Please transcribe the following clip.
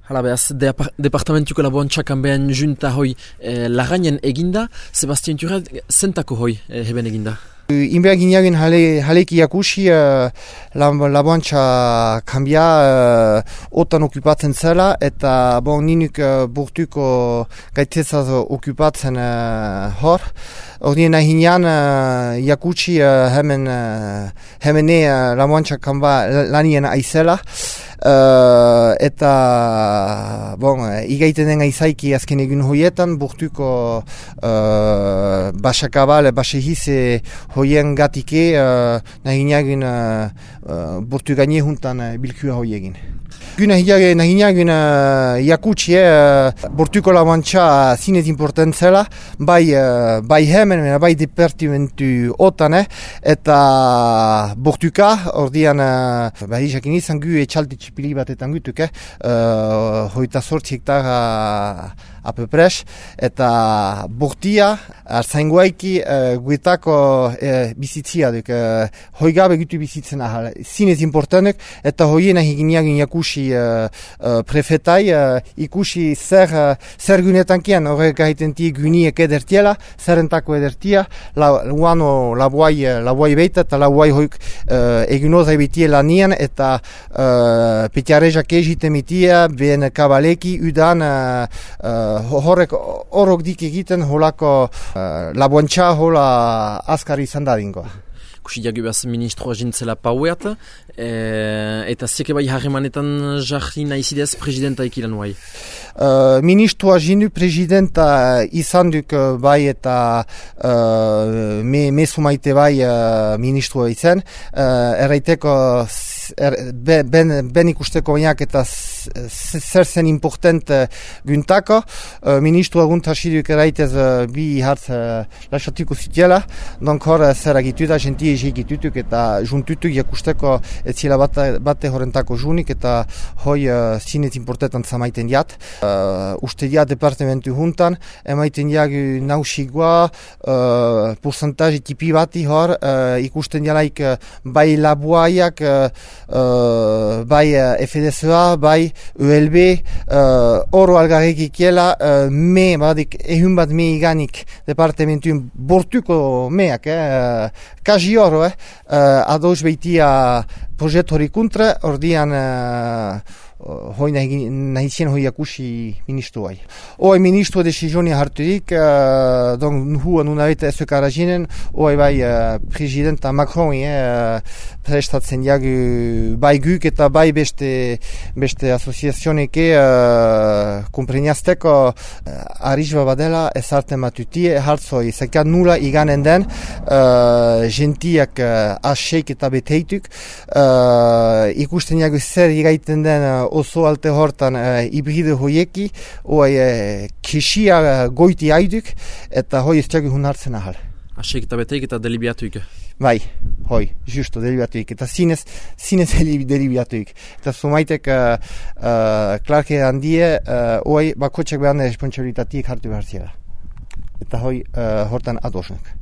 Hala behaz, departamentuko laboantxakan behan junta hoi lagainen eginda, Sebastian Turret zentako hoi heben eginda? Inbea gineagin haleki jakusi laboantxa kambia otan okupatzen zela eta ninuk burtuko gaitzezaz okupatzen hor. Ordien nahinean jakutsi hemene laboantxa kamba lanien aizela. Eta igaiten den aizaiki azken egun hoietan burtuko basakabal, basehize hoien gatike nahineagin burtu gaine juntan bilkua hoiegin. Nahineagin jakutsi burtuko laboantxa zinez importantzela, bai hemen, bai departimentu otan, eta burtuka, ordean jakin izan gu etxalti txipili batetan gutuk, hoita 8 hektara apepres, eta burtia, arzaingoaiki guetako bizitzia duk, hoigabe gutu bizitzen ahal, zinez importantek, eta hoien ahigineagin jakusi prefetai, ikusi zer gunetankian horrek ahitentik guniek edertiela, zerrentako edertia, lauano labuai beita, eta labuai hoik egunozai betiela nian, eta petiarezak egiten mitia, ben kabaleki, udan, horrek dik egiten holako laboantxa hola azkari izan dadingoa. Kusi jagibaz ministroa jintzela paueat, eta zeke bai harremanetan jarri nahizidez presidenta ikilan bai? Ministroa jindu presidenta izan duk bai eta mesumaite bai ministroa izan, erraiteko ben ikusteko bainak eta zer zen important guntako. Ministroa guntasiduk erraitez bi hartz lasatuko zitiela, donk hor zer agituta, jentie egitutuk eta juntutuk jakusteko etzila bate horrentako junik eta hoi zinez importantan zamaiten jat. Uste dia departamentu juntan, emaiten jagu nausigua, porcentaje tipi bati hor, ikusten jalaik bai labuaiak, bai FDSA, bai ULB, oro algarrik ikiela, badik ehun bat me iganik departamentu bortuko meak, kaji oro, ados beitia proiektu hori kontra, ordian hoi nahizien hoi akusi ministroai. Hoi ministro desizioni harturik, huan unabeta ezokara jinen, hoi bai presidenta Macron prestatzen jagu bai guk eta bai beste asoziazioneke kompreniazteko arrizba badela ezarten batutie, hartzoi zekat nula iganen den gentiak aseik eta beteituk, ikusten jagu zer igaiten den oso alte hortan hibride hoieki, hoi kisia goiti haiduk, eta hoi ez txagu hun hartzen ahal. Aseik eta beteik eta delibiatuik? Bai, hoi, justo, delibiatuik, eta zinez delibiatuik. Eta sumaitek klarke handie, hoi bakotxak behar responsabilitatik hartu behar zira. Eta hoi hortan adosnak.